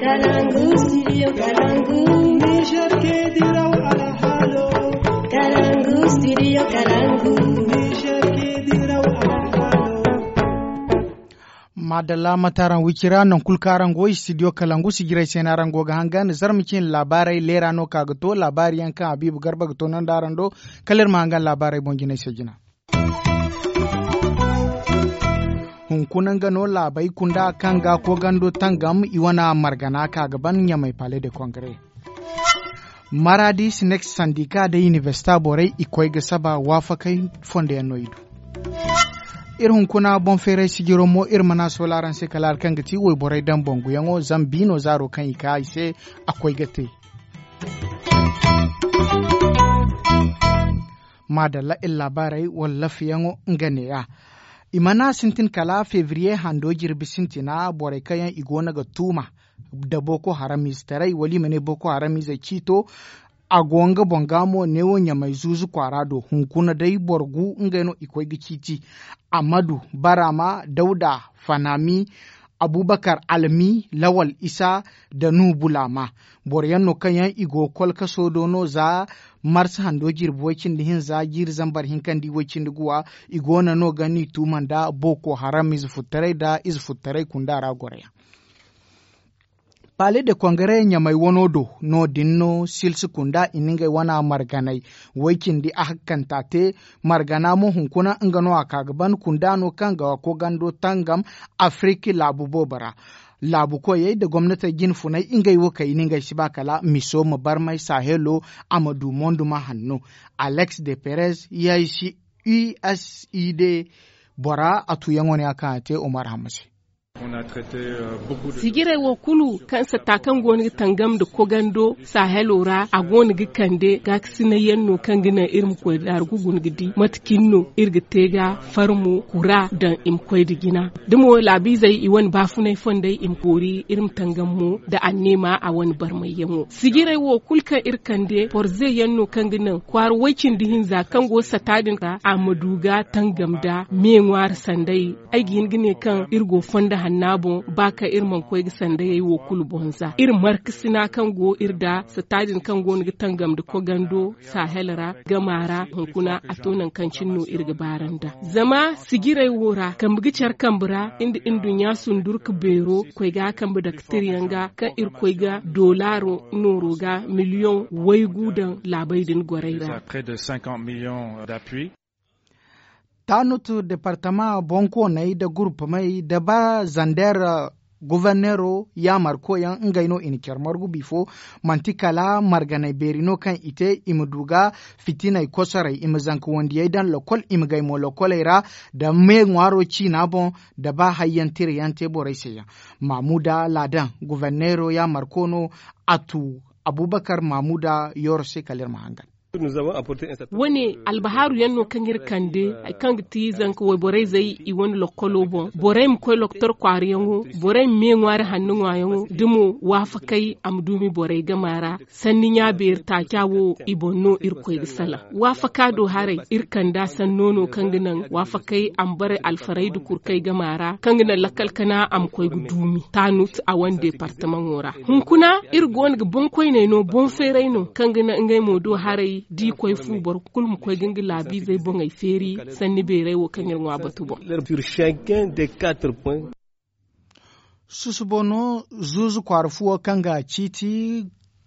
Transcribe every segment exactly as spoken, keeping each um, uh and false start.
Kalangu, studio Kalangu. Niger ke diraw alhalo. Kalangu, studio Kalangu. Niger ke diraw alhalo. Madalla, mate araŋ wicira, nangu kulu kaŋ araŋ go studio Kalangu sijirey se no araŋ go ga hangan. Zarma cine laabaarey leera no ka ga to laabaari yaŋ kaŋ Habiibu Garba ga to nanda araŋ do. Kala iri ma hangan laabaarey boŋ jinay se jina. Hunkuna nga no laabey kunda kaŋ ga koogando tangam i wane margana ka ga ban ɲamay palais de congrès. Maradis next sandika da universita borey i koy ga saba waafakay fondo yaŋ no i du. Iri hunkuna boŋ feeray sijiro mo iri mana sola araŋ se kala hari kaŋ ga ti wayborey daŋ bangu yaŋo zama biino zaaro kaŋ i ka i se a koy ga te. Maadalla iri laabaarey wala lafiyaŋo nga neeya. I mana sintin kala febriye hando jirbi sintina borey kaŋ yaŋ i goono ga tuuma nda boko haram ize taray wala i ma ne boko haram ize ciito. A go nga boŋ ga mo neewo ɲamay zuuzu kwaara do hunkuna day boro gu ngey no i koy ga ciiti. Amadu, barama, dawda, fanami, abubakar, almi, lawal isa, da nuhu bulama. Boro yaŋ no kaŋ yaŋ i go kolkaso do no za marsa hando jirbi way- cindi hinza jiiri zambar hinkandi way- cindi guwa. I goono no ga ni tuuma nda boko haram ize futtaray nda ize futtaray kunda ra goro yaŋ. Palais de congrès ɲamay wano do no- din no silsi kunda i na ngey wana marganay way- cindi a hakkanta te. Margana mo hunkuna nga no a ka ga ban kunda no kaŋ ga koogando tangam afiriki laabu boobo ra. Laabu koyey nda gomnatey jine funay ngey wo kay i na ngey si ba kala miso ma barmay sahelo a ma du monduma hanno. Alex de perez yaysi usid bora a tuyaŋo ne a kaŋ a te omar hamma se. Sijirey wo kulu kaŋ sata kaŋ go no ga tangam nda kogando sahelo ra a go no ga kande gaakasinay yaŋ no kaŋ ga naŋ iri ma koy daaru ga guna ga di mate cine no iri ga te ga farmo kura daŋ i ma koy nda jina. Da mo laabiizey i wane baafunay fondey i ma koori iri ma tangam mo nda anneema a wane barmayyaŋo sijirey wo kulu kaŋ iri kande porze yaŋ no kaŋ ga naŋ kwaara way- cindi hinza kaŋ go sata din ra a ma du ga tangam nda me ŋwaari sanday. Ay ga hin ga ne kaŋ iri go fondo hanna boŋ ba kaŋ iri mana koy ga sandayey wo kulu boŋ za iri markasina kaŋ go iri nda sata din kaŋ go no ga tangam nda kogando sahel ra gama ra hunkuna a to nangu kaŋ cine no iri ga baaranda. Zama sijirey wo ra kambe ga care kambe ra nda nduɲɲa sundurka beero koy ga a kambe daktiryaŋ ga kaŋ iri koy ga doolaaro nooro ga miliyoŋ waygu daŋ laabey din gorey ra. Tanut departama bonkooney nda gurupamey nda ba zander governeero yaamarkoyaŋ ngey no i na care margu bifo. Manti kala marganey beeri no kaŋ i te i ma du ga fitiney kosorey i ma zanka wandiyey daŋ lokol i ma gay mo lokoley ra nda me ŋwaaro ciina boŋ nda ba hayyaŋ tirayaŋ te borey se yaŋ. Mamuda ladan governeero yaamarko no a tu abubakar mamuda yooro se kala iri ma hangan. Wane albahaaru yaŋ no kaŋ iri kande hari kaŋ ga ti zanka wayborey zey i wane lokkolo boŋ borey ma koy loktor kwaariyaŋo borey ma me ŋwaari hanno ŋwaayaŋo da mo waafakey a ma duumi borey gama ra. Sanni ɲaabeeri taaca wo i boŋ no iri koy ga salaŋ waafaka do haray iri kanda sanno no kaŋ ga naŋ waafakey a ma bare alfarayda kurkey gama ra kaŋ ga naŋ lakkal kana a ma koy ga duumi taanut a wane departamaŋo ra. Hunkuna iri go no ga boŋkoyney no boŋ feeray no kaŋ ga naŋ ngey mo do haray da i koy fu boro kulu ma koy ga nga laabiizey boŋey feeri sanni beeray wo kaŋ iri ŋwa batu boŋ. Susubo no zuuzu kwaara fuwo kaŋ ga ciiti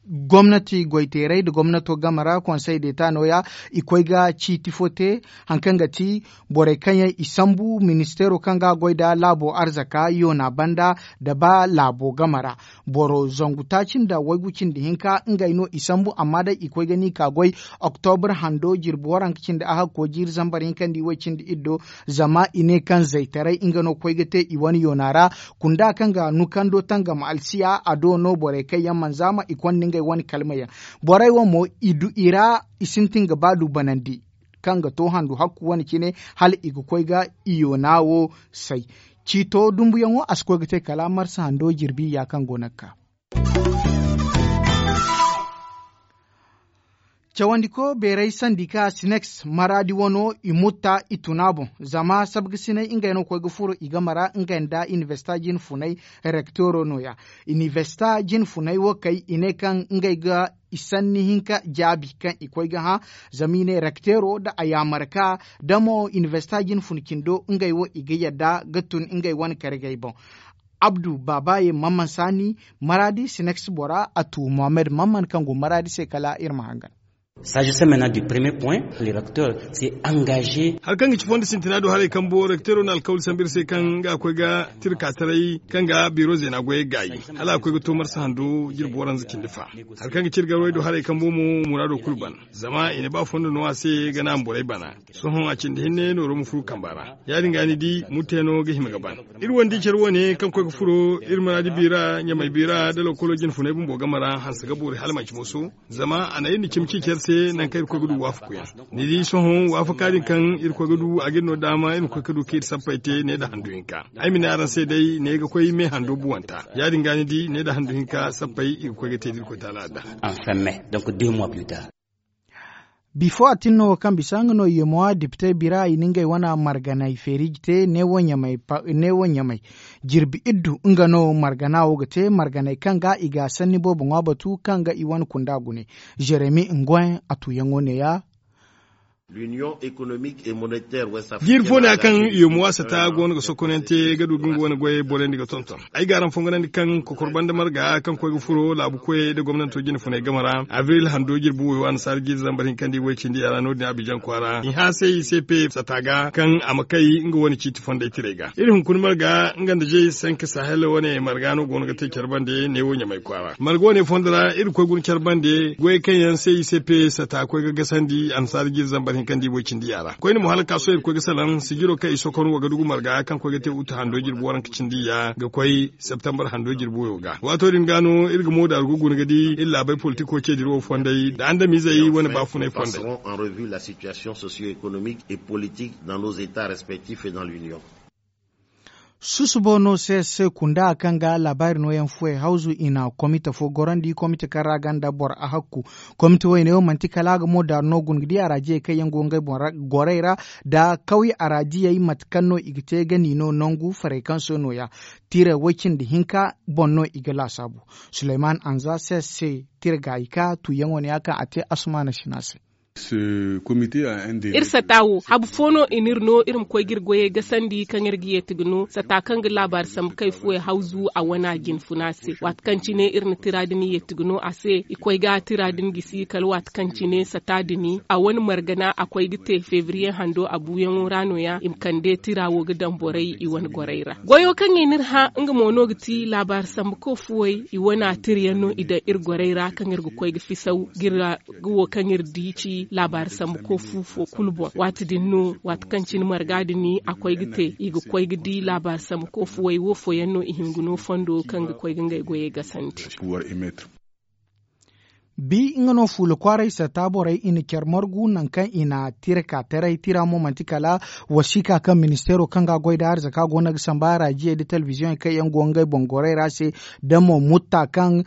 gomnati goyteeray nda gomnato game ra konsey deeta nooya i koy ga ciiti fo te. Hari kaŋ ga ti borey kaŋ yaŋ i sambu ministeero kaŋ ga goy nda laabo arzaka yoona banda nda ba laabo game ra boro zangu taaci nda waygu cindi hinka ngey no i sambu amma day i koy ga ni ka goy. Oktobre hando jirbi waranka cindi a hakko jiiri zambar hinka nda i way cindi iddo. Zama i ne kaŋ zaytaray nga no koy ga te i wane yoona ra kunda kaŋ ga nukando tangam alsiya a do no borey kaŋ yaŋ mana zaama i konda ngey wane kalmayaŋ. Borey wo mo i du i ra i sintin ga ba du banandi kaŋ ga to handu hakku wane cine hala i ga koy ga i yoona wo say. Ciito dumbuyaŋo a si koy ga te kala marsa hando jirbi ya kaŋ go no ga ka. Cawandiko beeray sandi ka sineks maraadi wano i mutta i tuna boŋ. Zama sabgasinay ngey no ga koy ga furo i game ra ngey nda inibersita jine funay. Rekteero nooya inibersita jine funay wo kay i ne kaŋ ngey ga i sanni hinka jaabi kaŋ i koy ga hã. Zama i ne rekteero nda a yaamar ka da mo inibersita jine funa cindo ngey wo i ga yadda ga tun ngey wane kargey boŋ. Abdu baabaye mamman saani maraadi sineks bora a tu mohammed mamman kaŋ go maraadi se kala iri ma hangan. Saajisamenna du premier point le recteur se angaze. Hari kaŋ ga ci fondo sintina do haray kambo rekteero na alkawli sambu iri se kaŋ ga koy ga tirka taray kaŋ ga biro zeena goyey gaayi hala a koy ga to marsa hando jirbi waranza cindi fa. Hari kaŋ ga ci iri garwey do haray kambo mo muraado kulu ban. Zama i na ba fondo no a se ga naama borey bana. Sohõ a cindi hinne nooro ma furu kamba ra ya- din ga ni di murteeno ga hima ga ban. Iri wandi care wane kaŋ koy ga furo iri maraadi biira ɲamay biira da lokolo jinfunay bumbo game ra hanse ga boori hala manci moso. Zama a na iri na cimi ci care se nangu kaŋ iri koy ga du waafakuyaŋ. Ni di sohõ waafaka din kaŋ iri koy ga du a ga iri no daama iri ma koy ga du kaŋ iri sappey te ne nda handu hinka. Ay ma ne araŋ se day ne ga koy me hando buwanta ya- din ga ni di ne nda handu hinka sappey i ga koy ga te da iri koy taala adda. Enfin mais donc deux mois plus tard. Bifo a tin no wo kaŋ bisa nga no yemowa dipitey bira i na ngey wane marganay feeri ga te neewo ɲamay jirbi iddu nga no margana wo ga te marganay kaŋ ga i ga sanni boobo ŋwa batu kaŋ ga i wane kunda gune. Jeremi ngoy a tuyaŋo neeya. Jiiri fo ne ya kaŋ yomuwa sata go no ga sokonante ga du ga nga wane goyey borandi ga tonton. Ay ga araŋ fongonandi kaŋ kokor banda marga kaŋ koy ga furo laabu koyey nda gomnanto jine funay game ra abril hando jirbi woyo annasaara jiiri zambar hinka nda i way cindi yara no- din abijan kwaara i hã se i se pe sata ga kaŋ a ma kay nga wane ciiti fonday tirey ga iri hunkuna marga nga nda jey sanka sahel wane marga no go no ga te care bande neewo ɲamay kwaara marga wane fondo ra iri koy guna care bande goyey kaŋ yaŋ se i se pe sata koy ga gasandi annasaara jiiri zambar hinka nda i way cindi yara koyne mo hala kaaso iri koy ga salaŋ sijiro kaŋ i sokon wa ga dugu marga kaŋ koy ga te uta hando jirbi waranka cindi ya ga koy septembar hando jirbi woyo ga waato din ga no iri ga mooda rugu guna ga di iri laabey politiko ce diri wo fonday nda andamizey wane baafunay fonday. Passeront en revue la situation socio-économique et politique dans nos etats respectifs et dans l'union. Susubo no se se kunda kaŋ ga laabaari nooyaŋ fuwey hawzu i na komite fo gorandi komite kaŋ ra ganda boro a hakku. Komite woyne wo manti kala a ga mo daaru no guna ga di araajiyey kaŋ yaŋ go ngey gorey ra nda kawye araajiyey mate kaŋ no i ga te ga ni no nangu farekanso nooya. Tiirey woy cindi hinka boŋ no i ga laasaabu. Suleyman anza se se tiire gaayi ka tuuyaŋo ne ya kaŋ a te asumaana sina se. Iri sata wo habu fo no i n'iri no iri ma koy ga iri goyey gasandi kaŋ iri ga yeeti ga no sata kaŋ ga laabaari sambu kay fuwey hawzu a wane a jinfuna se waati kaŋ cine iri na tira din yeeti ga no a se i koy ga tira din gisi kala waati kaŋ cine sata din a wane margana a koy ga te febriye hando a buuyaŋo ra nooya i ma kande tira wo ga daŋ borey i wane gorey ra. Goyo kaŋ i n'iri hã nga mo no ga ti laabaari sambu kay fuwey i wane a tira yaŋ no i daŋ iri gorey ra kaŋ iri ga koy ga fisaw ga iri ga wo kaŋ iri di ci laabaari sambu koy fu fo kulu boŋ waati din no waati kaŋ cine marga din a koy ga te i ga koy ga di laabaari sambu koy fuwey wo fooyaŋ no i hinga no fondo kaŋ ga koy ga ngey goyey gasandi. Bi nga no fuula kwaaray sata borey i na care margu nangu kaŋ i na tira ka taray tira mo manti kala wasiika kaŋ ministeero kaŋ ga goy nda arzaka go no ga samba araajiyey nda telebiziyoŋey kaŋ yaŋ go ngey boŋ gorey ra se da mo mutta kaŋ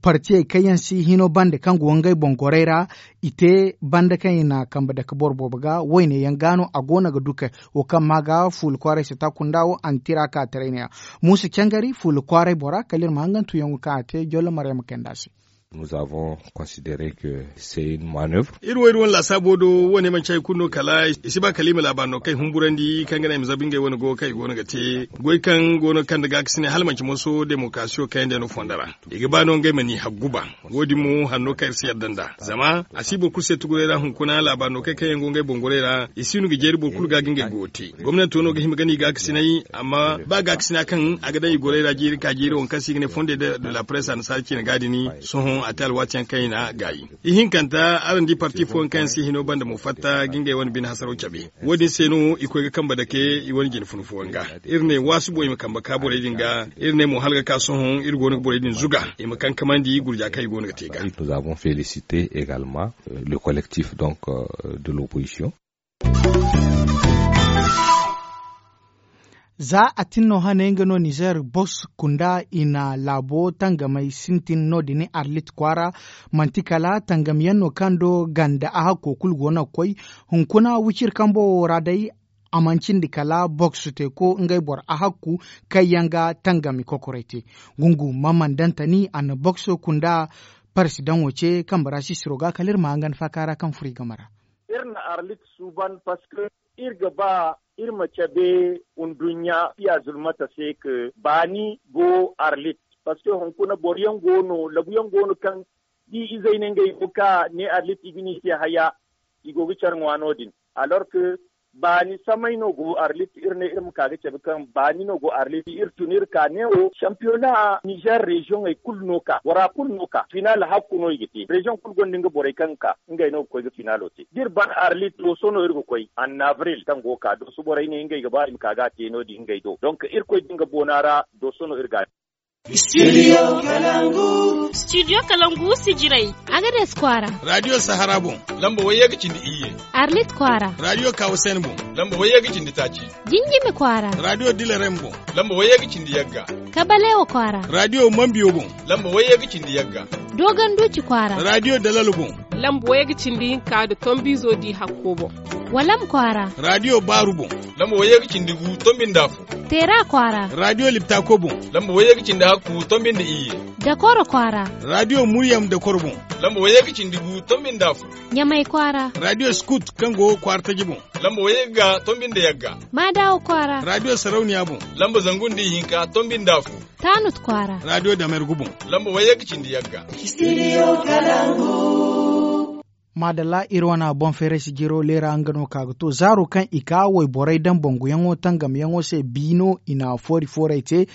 partiyey kaŋ yaŋ si hino bande kaŋ go ngey boŋ gorey ra i te banda kaŋ i na kambe dake boro boobo ga wayne yaŋ ga no a go no ga du kay wo kaŋ ma ga fuula kwaaray sata kunda wo a na tira ka taray ne ya. Muusa cangari fuula kwaaray bora kala iri ma hangan tuyaŋo kaŋ a te jollo maryama kayndi a se. Nous avons considéré que c'est une manœuvre. Iri wo iri wane laasaabo do wo- ne manci hari kulu no kala i si ba kala i ma laabaari no kaŋ i humburandi kaŋ ga naŋ i ma zabu ngey wane go kaŋ i go no ga te goy kaŋ go no ga kande gaakasinay hala manci moso demokarasiyo kaŋ yaŋ day no fondo ra i ga ba no ngey ma ni haggu ba. Wo- din mo hanno kaŋ iri si yadda nd'a zama a si boro kulu se tuguray ra hunkuna laabaari no kaŋ kaŋ yaŋ go ngey boŋ goray ra i si no ga jeeri boro kulu ga ga ngey goyo te. Gomnanto no ga hima ga ni gaakasinay amma ba gaakasina kaŋ a ga daŋ i goray ra jeeri ka jeeri waŋ kaŋ se i ga ne fondey de la presse annasaara ciine ga din sohõ a te alwaati yaŋ kaŋ i na gaayi. Ihinkanta araŋ di parti fooyaŋ kaŋ yaŋ si hino banda mo fatta ga ngey wane bine hasaro cabe. Wo- din se no i koy ga kambe dake i wane jine funa fooyaŋ ga. Iri ne waasu boŋ i ma kambe ka borey din ga. Iri ne mo hala ga ka sohõ iri go no ga borey din zuga i ma kankamandi gurja kaŋ i go no ga te ga. Nous avons félicité également le collectif donc de l'opposition. Za a tin no hane nga no nizer boks kunda i na laabo tangamey sintin no- din arlit kwaara. Manti kala tangamyaŋ no kaŋ do ganda a hakko kulu go no ga koy. Hunkuna wiciri kambo wo ra day a mana cindi kala boks teeko ngey boro a hakku kaŋ yaŋ ga tangami kokoray te. Gungu mamman dantani a na boks kunda parsidaŋo ce kambe ra sisiro ga kala iri ma hangan faaka ra kaŋ furo i game ra. Iri na arlit suuban parceque iri ga ba iri ma cabe nduɲɲa fiya zulmata se ka baani go arlit. Parceque hunkuna boro yaŋ go no labu yaŋ go no kaŋ da i izey ne ngey go ka ne arlit i ga ne i te haya i go ga care ŋwa no- din. Alors que baani samay no go arlit iri ne iri ma ka ga cabe kaŋ baani no go arlit iri tun iri ka ne wo sampiyona nizer reziyoŋey kulu no ka bora kulu no ka final hakku no i ga te reziyoŋ kulu gonda nga borey kaŋ ga ka ngey no ga koy ga finalo te da iri ban arlit dooso no iri ga koy annabril kaŋ go ga ka dooso borey ne ngey ga ba i ma ka ga a te no- din ngey do donk irkoy din ga boona ra dooso no iri ga a te. Studio kalangu sijirey. Agades kwaara. Radiyo sahara boŋ. Lamba wayye ga cindi iyye. Arlit kwaara. Radiyo kawasen boŋ. Lamba wayye ga cindi taaci. Jinjimi kwaara. Radiyo dilarem boŋ. Lamba wayye ga cindi yagga. Kabalewa kwaara. Radiyo mambiyo boŋ. Lamba wayye ga cindi yagga. Dogon duuci kwaara. Radiyo dalal boŋ. Lamba wayye ga cindi hinka nda tombiizo di hakko boŋ. Walam kwaara. Radiyo baaru boŋ. Lamba wayye ga cindi gu tombinda afo. Teera kwaara. Radiyo liptako boŋ. Lamba wayye ga cindi hakku tombinda iyye. Dakoro kwaara. Radiyo muryam dakoro boŋ. Lamba wayye ga cindi gu tombinda afo. Ɲamay kwaara. Radiyo skut kaŋ go kwaara taji boŋ. Lamba wayye ga tombinda yagga. Maadawa kwaara. Radiyo sarauniya boŋ. Lamba zangu nda ihinka tombinda afo. Taanut kwaara. Radiyo damergu boŋ. Lamba wayye ga cindi yagga. Maadalla iri wane boŋ feeray sijiro leera nga no ka ga to zaaro kaŋ i ka wayborey daŋ banguyaŋo tangamyaŋo se biino i na foori fooray te.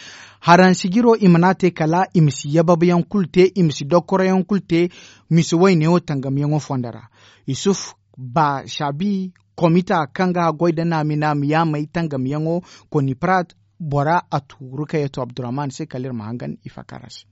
Haraŋ sijiro i mana te kala i ma si yababyaŋ kulu te i ma si dokkoroyaŋ kulu te. Misi waynewo tangamyaŋo fondo ra yusuf ba saabi komita kaŋ ga goy nda naami naami yaamey tangamyaŋo koni prat bora a tuuru kaŋ yaŋ to abdurrahman se kala iri ma hangan i faakar a se.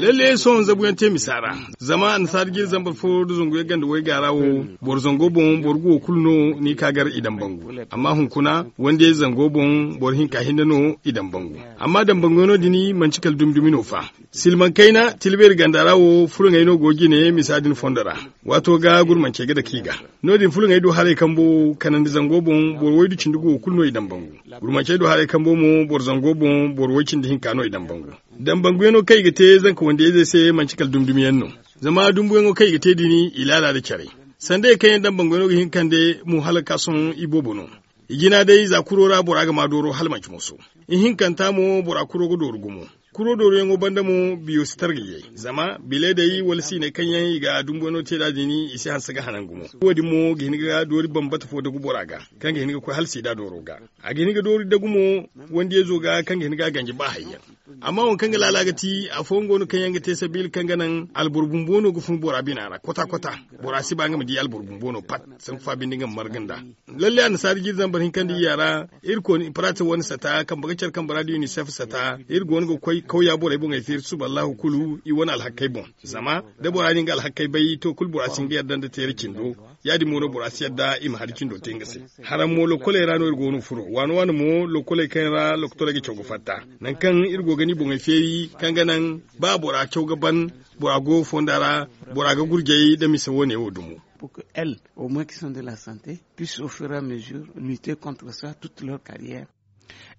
Lalle sohõ zabuyaŋ te misa ra zama annasaara jiri zambar fo nda zangu yaŋ ganda wayga ra wo boro zango boŋ boro guwo kulu no ni ka gar i daŋ bangu. Amma hunkuna wandiyay zango boŋ boro hinka hinne no i daŋ bangu. Amma daŋ bangu yaŋ no- din manti kala dumi dumi no fa. Silmaŋ kayna tilbeeri ganda ra wo fulaŋey no go ga jine misa din fondo ra. Waato ga gurmancey ga dake i ga. No- din fulaŋey du haray kambo kanandi zango boŋ boro waydu cindi guwo kulu no i daŋ bangu. Gurmancey du haray kambo mo boro zango boŋ boro way cindi hinka no i daŋ bangu. Daŋ banguyaŋo kaŋ i ga te zanka wandiyayzey se manti kala dumdumiyaŋ no. Zama dumbuyaŋo kaŋ i ga te din i laala nda care. Sandayey kaŋ yaŋ daŋ banguyaŋo ga hin ga kande mo hala ga ka sohõ iboobo no. I jina day za kuro ra bora ga ma dooro hala manti moso. Ihinkanta mo bora kuro ga dooru gumo. Kuro dooruyaŋo banda mo biyo si targa yay zama bileedey wala siiney kaŋ yaŋ i ga dumbuyaŋo te nd'a din i si hanse ga hanan gumo. Wo- din mo ga hin ga doori bambata fo dagu bora ga kaŋ ga hin ga koy hala siida dooro ga. A ga hin ga doori dagu mo wandiyayzo ga kaŋ ga hin ga a ganji ba hayyaŋ. Amma waŋ kaŋ ga laala ga ti afooyaŋ go no kaŋ yaŋ ga te sabiila kaŋ ga naŋ alboro bumbo no ga fun bora bina ra kota kota. Bora si ba nga ma di alboro bumbo no pat. Sanku fa binde nga ma marga nd'a. Lalle annasaara jiiri zambar hinkandi iyya ra iri kooni parate wane sata kambe ga care kambe ra da unicef sata iri go no ga koy kawya borey boŋey feeri suba allahu kulu i wane alhakkey boŋ. Zama da bora na nga alhakkey bay to kulu bora si hin ga yadda nda teera cindo. Ya- din mo no bora si yadda i ma hari cindo te nga se. Haraŋ mo lokkoley ra no iri go no ga furo waano waano mo lokkoley kaŋ ra lokotorey ga caw ga fatta. Nangu kaŋ iri go ga ni boŋey feeri kaŋ ga naŋ ba bora caw ga ban bora go fonda ra bora ga gurjay nda mise wo- ne wo dumo. Pour que elles au moins qui sont de la santé puissent au fur et à mesure lutter contre ça toute leur carrière.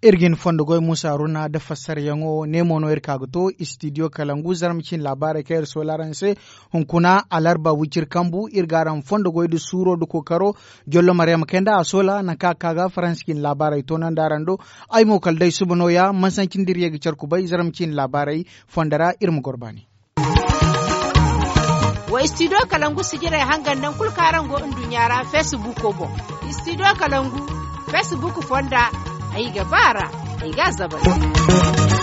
Iri ga hin fondo goy muusa haruna nda fassarayaŋo ne mo no iri ka ga to istidiyo kalangu zarma cine laabaarey kaŋ iri soola araŋ se. Hunkuna alarba wiciri kambu iri ga araŋ fondo goy nda suuro nda kookaro. Jollo maryama kay nda a soola nangu kaŋ a ga ka ga faransi cine laabaarey toonandi araŋ do. Ay mo kala day suba nooya mansanci nda iri ye ga care kubay zarma cine laabaarey fondo ra iri ma goro baani. Wa istidiyo kalangu sijirey hangan nangu kulu kaŋ araŋ go nduɲɲa ra feesibuuko boŋ. Istidiyo kalangu feesibuuku fonda ay ga ba a ra ay ga a zabari.